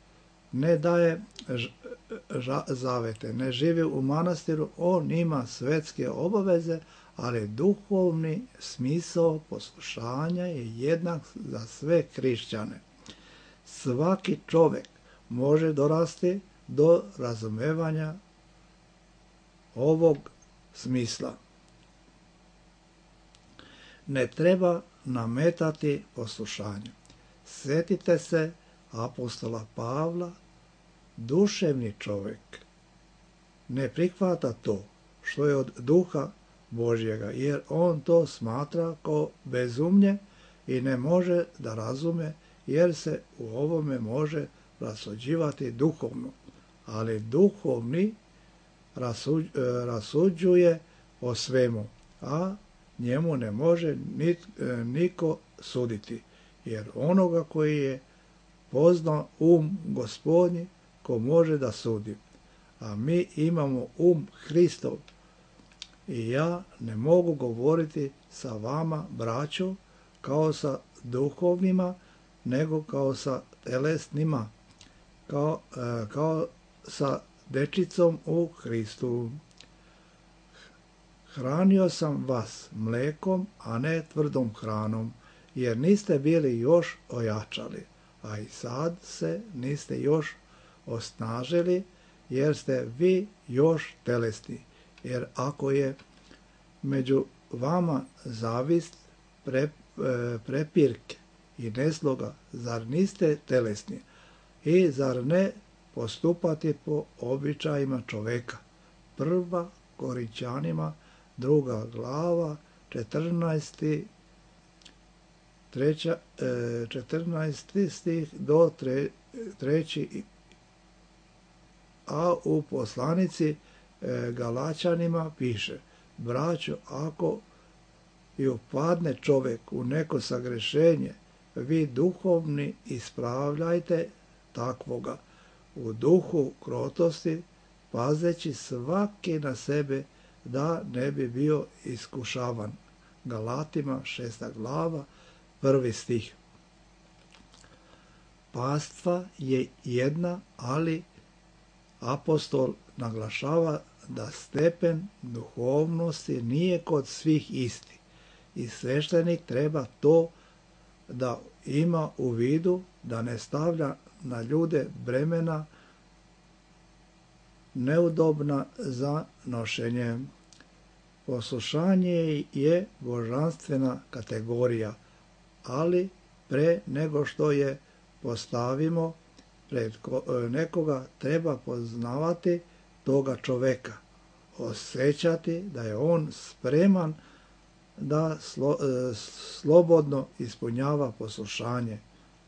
ne daje zavete, ne živi u manastiru, on ima svetske obaveze, ali duhovni smisao poslušanja je jednak za sve hrišćane. Svaki čovjek može dorasti do razumevanja ovog smisla. Ne treba nametati poslušanje. Sjetite se apostola Pavla, duševni čovjek ne prihvata to što je od duha Božjega, jer on to smatra kao bezumlje i ne može da razume, jer se u ovome može rasuđivati duhovno, ali duhovni rasuđuje o svemu, a njemu ne može niko suditi, jer onoga koji je poznao um Gospodnji, ko može da sudi. A mi imamo um Hristov i ja ne mogu govoriti sa vama, braćo, kao sa duhovnima, nego kao sa telesnima, kao, kao sa dečicom u Hristu. Hranio sam vas mlekom, a ne tvrdom hranom, jer niste bili još ojačali, a i sad se niste još osnažili, jer ste vi još telesni. Jer ako je među vama zavist, pre, prepirke i nesloga, zar niste telesni? I zar ne postupati po običajima čoveka? Prva Korinćanima, druga glava, četrnaesti, treća, četrnaesti stih do tre, treći, a u poslanici Galačanima piše: braćo, ako i upadne čovek u neko sagrešenje, vi duhovni ispravljajte takvoga u duhu krotosti, pazeći svaki na sebe da ne bi bio iskušavan. Galatima šesta glava, prvi stih. Pastva je jedna, ali apostol naglašava da stepen duhovnosti nije kod svih isti i sveštenik treba to da ima u vidu, da ne stavlja na ljude bremena neudobna za nošenje. Poslušanje je božanstvena kategorija, ali pre nego što je postavimo pred nekoga, treba poznavati toga čoveka, osjećati da je on spreman da slo, slobodno ispunjava poslušanje.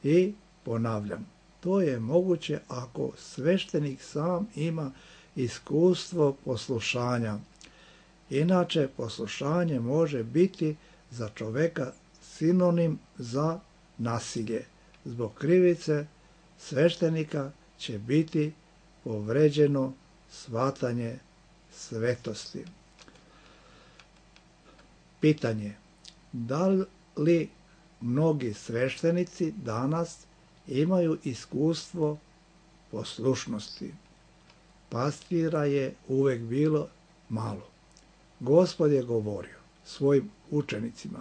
I ponavljam, to je moguće ako sveštenik sam ima iskustvo poslušanja. Inače, poslušanje može biti za čoveka sinonim za nasilje. Zbog krivice sveštenika će biti povređeno shvatanje svetosti. Pitanje: da li mnogi sveštenici danas imaju iskustvo poslušnosti? Pastira je uvek bilo malo. Gospod je govorio svojim učenicima: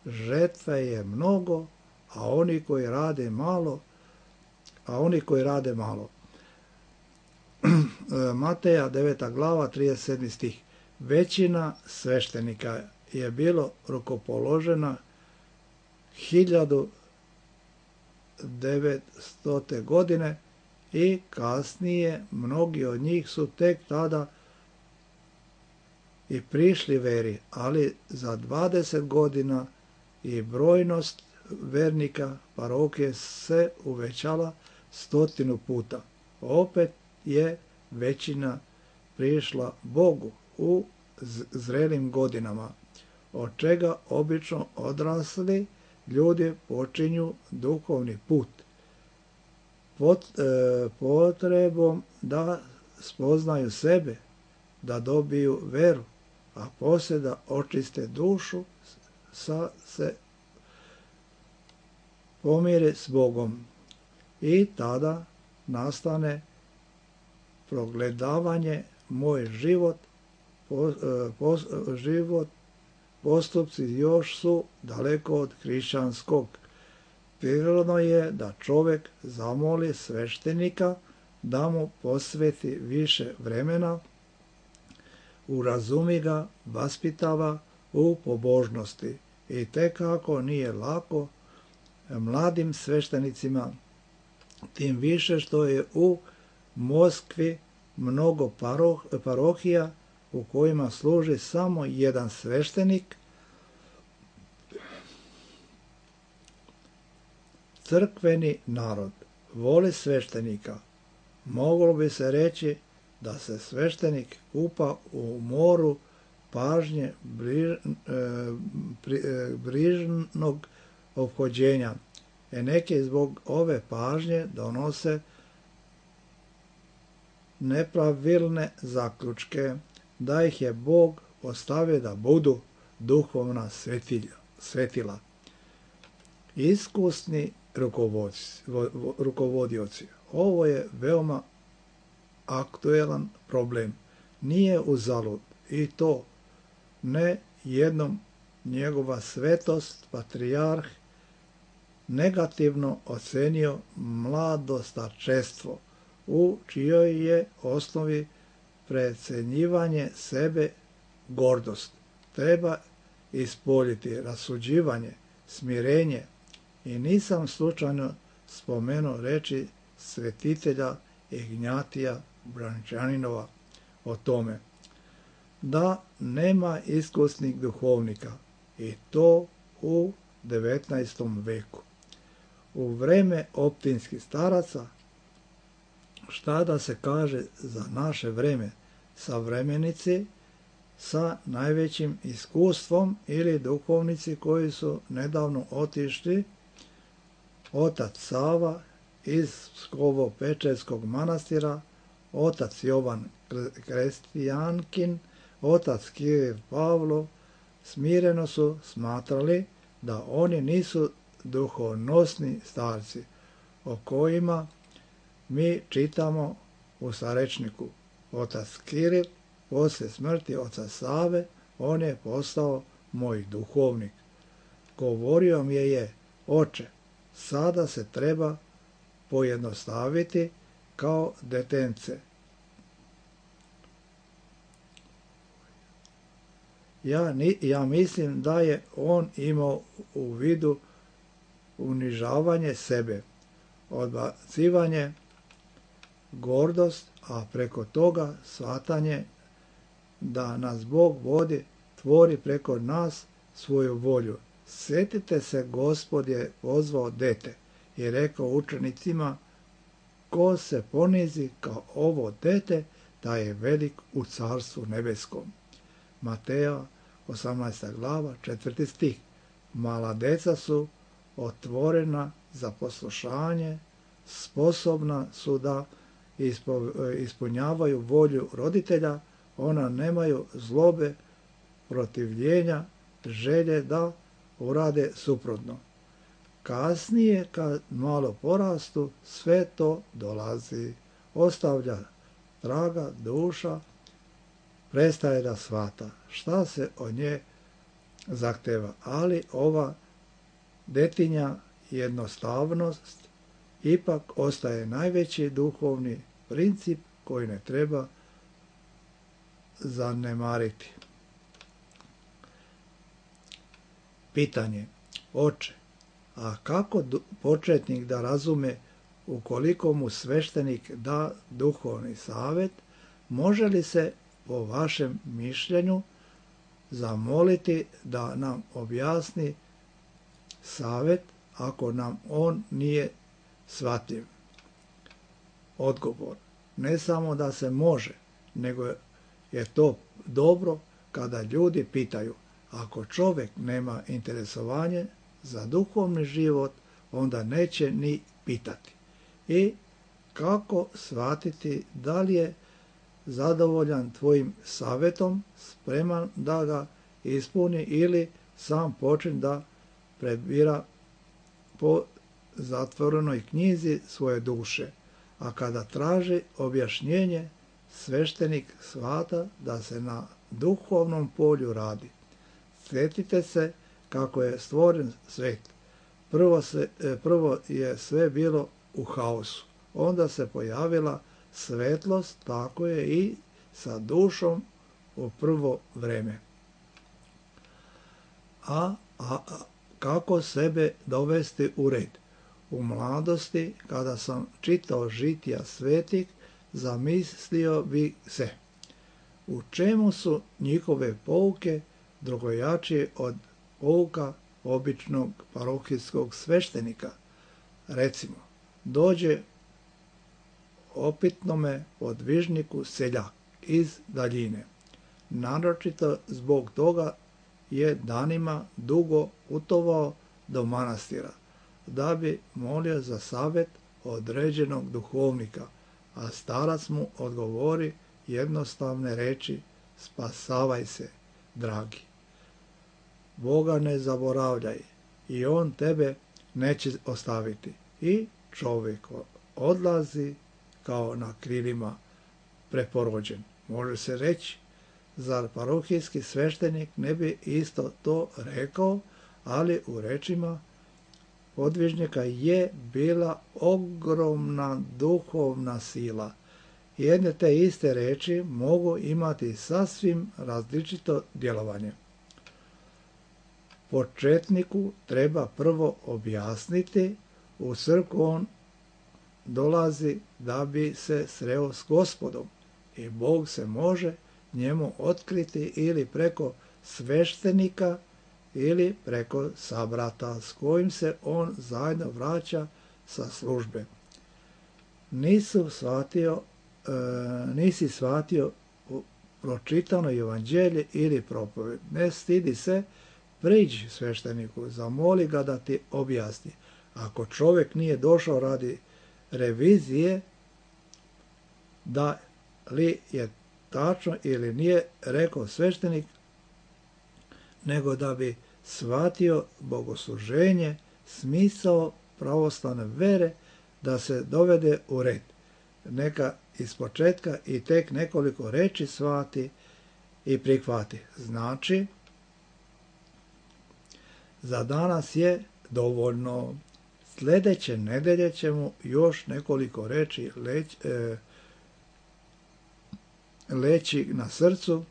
žetve je mnogo, a oni koji rade malo, a oni koji rade malo. Mateja deveta glava, trideset sedmi stih. Većina sveštenika je bilo rukopoložena hiljadu devetstote godine i kasnije mnogi od njih su tek tada i prišli veri, ali za dvadeset godina i brojnost vernika parohije se uvećala stotinu puta. Opet je većina prišla Bogu u zrelim godinama, od čega obično odrasli ljudi počinju duhovni put Pot, e, potrebom da spoznaju sebe, da dobiju veru, a poslije da očiste dušu, sa se pomire s Bogom. I tada nastane progledavanje: moj život, po, po, život, postupci još su daleko od hrišćanskog. Prirodno je da čovjek zamoli sveštenika da mu posveti više vremena, urazumi ga, vaspitava u pobožnosti. I tek ako nije lako mladim sveštenicima, tim više što je u Moskvi mnogo paroh, parohija u kojima služi samo jedan sveštenik, crkveni narod voli sveštenika, moglo bi se reći da se sveštenik kupa u moru pažnje briž, e, pri, e, brižnog ophođenja, e neki zbog ove pažnje donose nepravilne zaključke da ih je Bog ostavio da budu duhovna svetilja, svetila. Iskusni rukovodioci. Ovo je veoma aktuelan problem. Nije uzalud i to ne jednom njegova svetost, patrijarh, negativno ocenio mladostarčestvo, u čijoj je osnovi precenjivanje sebe gordost. Treba ispoljiti rasuđivanje, smirenje i nisam slučajno spomenuo reči svetitelja Ignjatija Brančaninova o tome, da nema iskusnih duhovnika i to u devetnaestom veku. U vreme optinskih staraca, šta da se kaže za naše vreme, savremenici sa najvećim iskustvom ili duhovnici koji su nedavno otišli, otac Sava iz Pskovo-Pečerskog manastira, otac Jovan Krestijankin, otac Kiril Pavlo, smireno su smatrali da oni nisu duhonosni starci, o kojima mi čitamo u starečniku. Otac Kiril, poslije smrti oca Save, on je postao moj duhovnik. Govorio mi je, oče, sada se treba pojednostaviti kao detence. Ja, ni, ja mislim da je on imao u vidu unižavanje sebe, odbacivanje, gordost, a preko toga shvatanje da nas Bog vodi, tvori preko nas svoju volju. Sjetite se, Gospod je pozvao dete i rekao učenicima, ko se ponizi kao ovo dete, da je velik u carstvu nebeskom. Mateja osamnaesta glava, četvrti stih. Mala deca su otvorena za poslušanje, sposobna su da ispunjavaju volju roditelja, ona nemaju zlobe, protivljenja, želje da urade suprotno. Kasnije, kad malo porastu, sve to dolazi, ostavlja traga, duša, prestaje da shvata šta se od nje zahteva, ali ova detinja jednostavnost ipak ostaje najveći duhovni princip koji ne treba zanemariti. Pitanje, oče, a kako početnik da razume ukoliko mu sveštenik da duhovni savjet, može li se po vašem mišljenju zamoliti da nam objasni savjet ako nam on nije shvatljiv? Odgovor, ne samo da se može, nego je to dobro kada ljudi pitaju. Ako čovjek nema interesovanje za duhovni život, onda neće ni pitati. I kako shvatiti da li je zadovoljan tvojim savjetom, spreman da ga ispuni ili sam počne da prebira po zatvorenoj knjizi svoje duše. A kada traži objašnjenje, sveštenik shvata da se na duhovnom polju radi. Sjetite se kako je stvoren svijet. Prvo, se, prvo je sve bilo u haosu. Onda se pojavila svetlost, tako je i sa dušom u prvo vreme. A, a, a kako sebe dovesti u red? U mladosti, kada sam čitao žitija svetih, zamislio bi se u čemu su njihove pouke drugojačije od pouka običnog parohijskog sveštenika. Recimo, dođe opitnome podvižniku seljak iz daljine. Naročito zbog toga je danima dugo putovao do manastira, da bi molio za savjet određenog duhovnika, a starac mu odgovori jednostavne reči: spasavaj se, dragi. Boga ne zaboravljaj i on tebe neće ostaviti. I čovjek odlazi kao na krilima preporođen. Može se reći, zar parohijski sveštenik ne bi isto to rekao, ali u rečima podvižnika je bila ogromna duhovna sila. Jedne te iste reči mogu imati sasvim različito djelovanje. Početniku treba prvo objasniti, u crkvu on dolazi da bi se sreo s Gospodom i Bog se može njemu otkriti ili preko sveštenika ili preko sabrata s kojim se on zajedno vraća sa službe. Nisu shvatio, e, nisi shvatio pročitano evanđelje ili propoved. Ne stidi se, priđi svešteniku, zamoli ga da ti objasni. Ako čovjek nije došao radi revizije, da li je tačno ili nije rekao sveštenik, nego da bi shvatio bogosluženje, smisao pravoslavne vere, da se dovede u red. Neka ispočetka i tek nekoliko reči shvati i prihvati. Znači, za danas je dovoljno. Sljedeće nedelje ćemo još nekoliko reči leć, e, leći na srcu.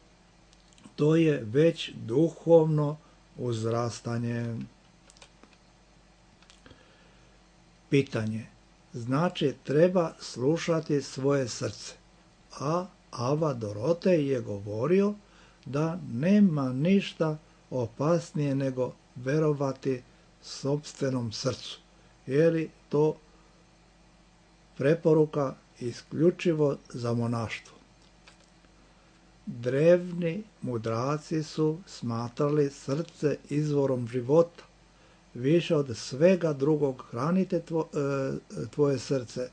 To je već duhovno uzrastanje. Pitanje. Znači, treba slušati svoje srce. A Ava Dorotej je govorio da nema ništa opasnije nego verovati sopstvenom srcu. Je li to preporuka isključivo za monaštvo? Drevni mudraci su smatrali srce izvorom života. Više od svega drugog hranite tvo, e, tvoje srce,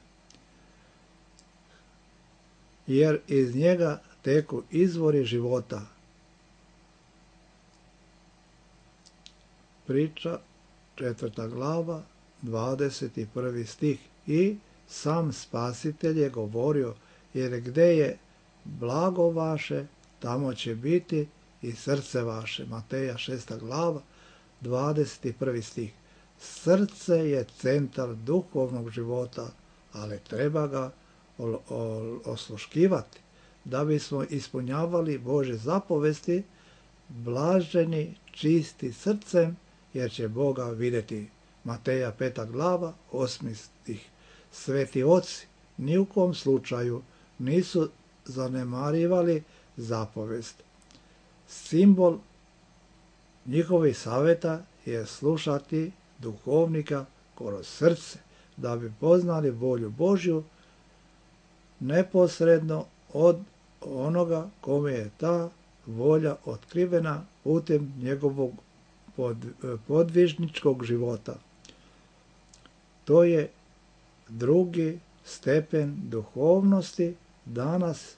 jer iz njega teku izvori života. Priča, četvrta glava, dvadeset prvi stih. I sam Spasitelj je govorio, jer gdje je blago vaše, tamo će biti i srce vaše. Mateja šesta glava, dvadeset prvi stih. Srce je centar duhovnog života, ali treba ga osluškivati. Da bismo ispunjavali Božje zapovesti, blaženi, čisti srcem, jer će Boga vidjeti. Mateja peta glava, osmi stih. Sveti oci ni u kom slučaju nisu zanemarivali zapovest. Simbol njihovih savjeta je slušati duhovnika kroz srce, da bi poznali volju Božju neposredno od onoga kome je ta volja otkrivena putem njegovog pod, podvižničkog života. To je drugi stepen duhovnosti. Danas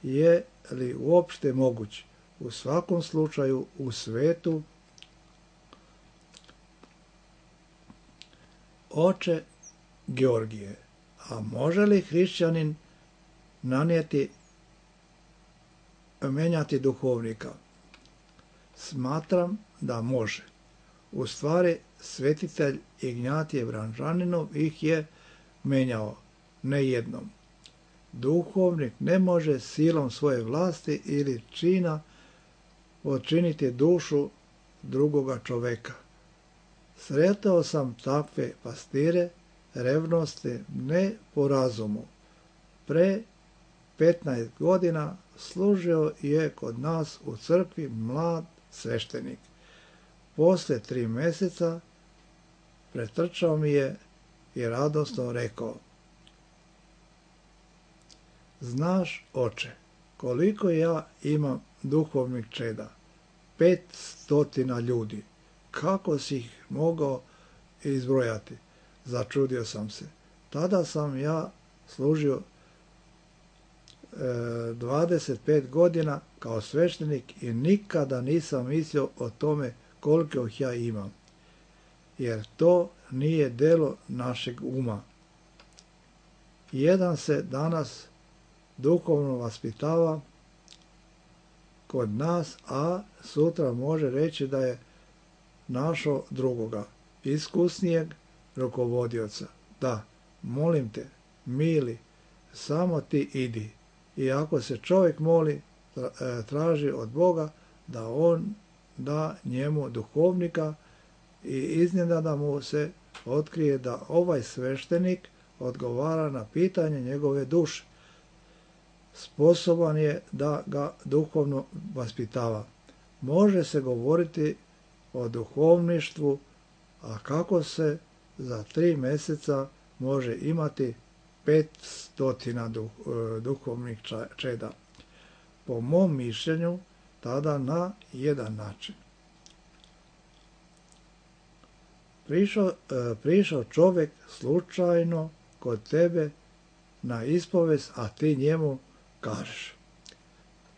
je li uopšte moguć? U svakom slučaju u svetu. Oče Georgije, a može li hrišćanin nanijeti, menjati duhovnika? Smatram da može. U stvari, svetitelj Ignjatije Branžaninov ih je menjao, ne jednom. Duhovnik ne može silom svoje vlasti ili čina odčiniti dušu drugoga čoveka. Sretao sam takve pastire, revnosti ne po razumu. Pre petnaest godina služio je kod nas u crkvi mlad sveštenik. Posle tri mjeseca pretrčao mi je i radosno rekao: znaš, oče, koliko ja imam duhovnih čeda, pet stotina ljudi, kako si ih mogao izbrojati? Začudio sam se. Tada sam ja služio e, dvadeset pet godina kao sveštenik i nikada nisam mislio o tome koliko ih ja imam, jer to nije delo našeg uma. Jedan se danas duhovno vaspitava kod nas, a sutra može reći da je našao drugoga, iskusnijeg rukovodioca. Da, molim te, mili, samo ti idi. I ako se čovjek moli, traži od Boga da on da njemu duhovnika i iznenada mu se otkrije da ovaj sveštenik odgovara na pitanje njegove duše. Sposoban je da ga duhovno vaspitava. Može se govoriti o duhovništvu, a kako se za tri mjeseca može imati pet stotina duhovnih čeda. Po mom mišljenju, tada na jedan način. Prišao, prišao čovjek slučajno kod tebe na ispovest, a ti njemu kažeš: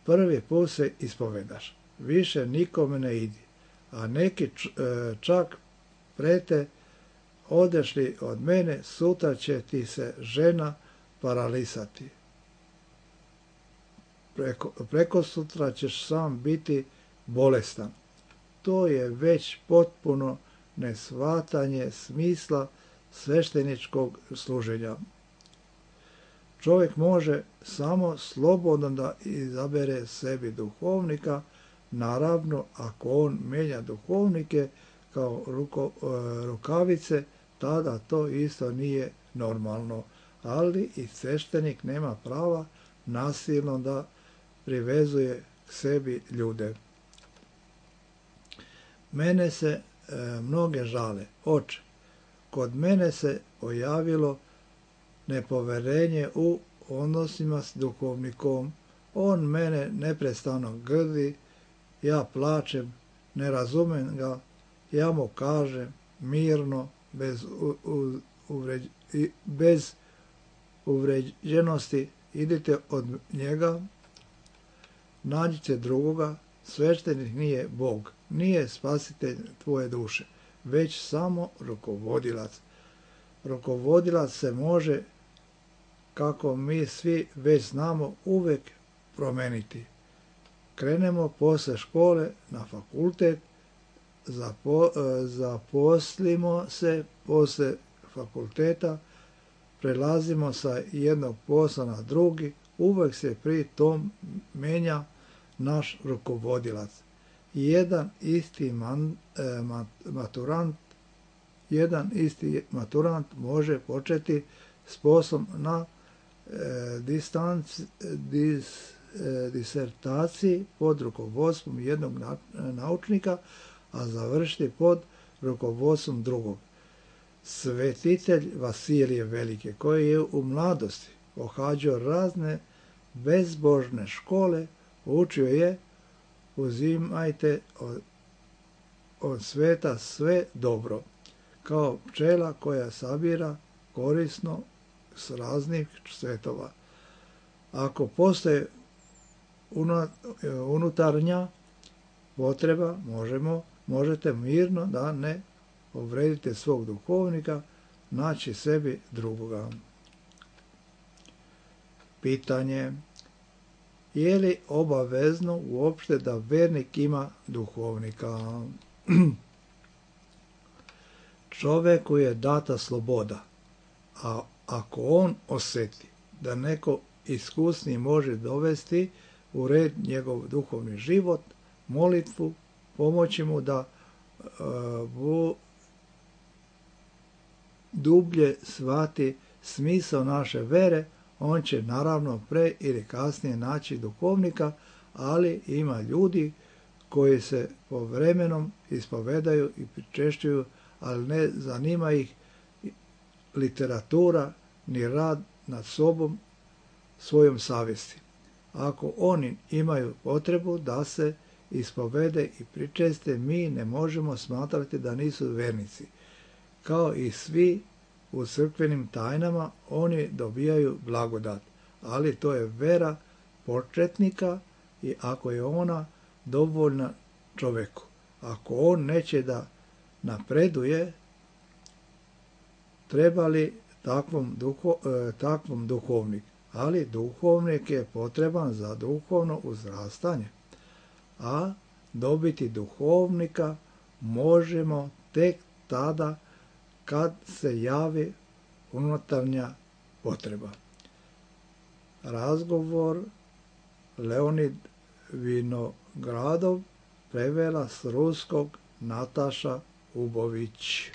prvi put se ispovedaš, više nikome ne idi, a neki čak prete: odeš li od mene, sutra će ti se žena paralisati. Preko, preko sutra ćeš sam biti bolestan. To je već potpuno neshvatanje smisla svešteničkog služenja. Čovjek može samo slobodno da izabere sebi duhovnika, naravno ako on menja duhovnike kao ruko, rukavice, tada to isto nije normalno, ali i sveštenik nema prava nasilno da privezuje k sebi ljude. Mene se e, mnoge žale: oče, kod mene se pojavilo nepoverenje u odnosima s duhovnikom, on mene neprestano grdi, ja plačem, ne razumem ga, ja mu kažem mirno, bez, u, u, uvređ, bez uvređenosti: idite od njega, nađite drugoga, sveštenik nije Bog, nije spasitelj tvoje duše, već samo rukovodilac. Rukovodilac se može, kako mi svi već znamo, uvijek promeniti. Krenemo posle škole na fakultet, zapo, zaposlimo se posle fakulteta, prelazimo sa jednog posla na drugi, uvijek se pri tom menja naš rukovodilac. Jedan isti man, e, mat, maturant, jedan isti maturant može početi s poslom na e, distanci, dis, e, disertaciji pod rukovodstvom jednog na, naučnika, a završiti pod rukovodstvom drugog. Svetitelj Vasilije Velike, koji je u mladosti pohađao razne bezbožne škole, učio je: uzimajte od, od sveta sve dobro, kao pčela koja sabira korisno s raznih svetova. Ako postoje unutarnja potreba, možemo, možete mirno, da ne povredite svog duhovnika, naći sebi drugoga. Pitanje: je li obavezno uopšte da vernik ima duhovnika? Čoveku je data sloboda, a ako on osjeti da neko iskusni može dovesti u red njegov duhovni život, molitvu, pomoći mu da uh, dublje shvati smisao naše vere, on će naravno pre ili kasnije naći duhovnika, ali ima ljudi koji se povremenom ispovedaju i pričešćuju, ali ne zanima ih literatura ni rad nad sobom, svojom savjesti. Ako oni imaju potrebu da se ispovede i pričeste, mi ne možemo smatrati da nisu vernici. Kao i svi u crkvenim tajnama, oni dobijaju blagodat, ali to je vera početnika i ako je ona dovoljna čoveku. Ako on neće da napreduje, treba li takvom, duho, e, takvom duhovnik? Ali duhovnik je potreban za duhovno uzrastanje, a dobiti duhovnika možemo tek tada kad se javi unutarnja potreba. Razgovor Leonid Vinogradov, prevela s ruskog Nataša Ubović.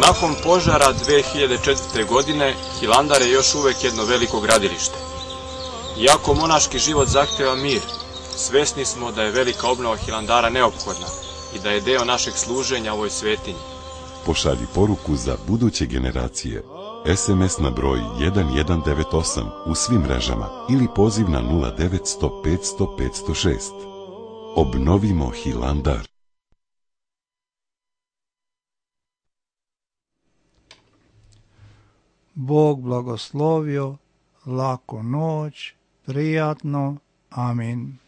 Nakon požara dve hiljade četvrte. godine, Hilandar je još uvek jedno veliko gradilište. Iako monaški život zahteva mir, svesni smo da je velika obnova Hilandara neophodna i da je deo našeg služenja ovoj svetinji. Pošalji poruku za buduće generacije. es em es na broj jedan jedan devet osam u svim mrežama ili poziv na nula devet sto petsto petsto šest. Obnovimo Hilandar. Bog blagoslovio, laku noć, prijatno, amin.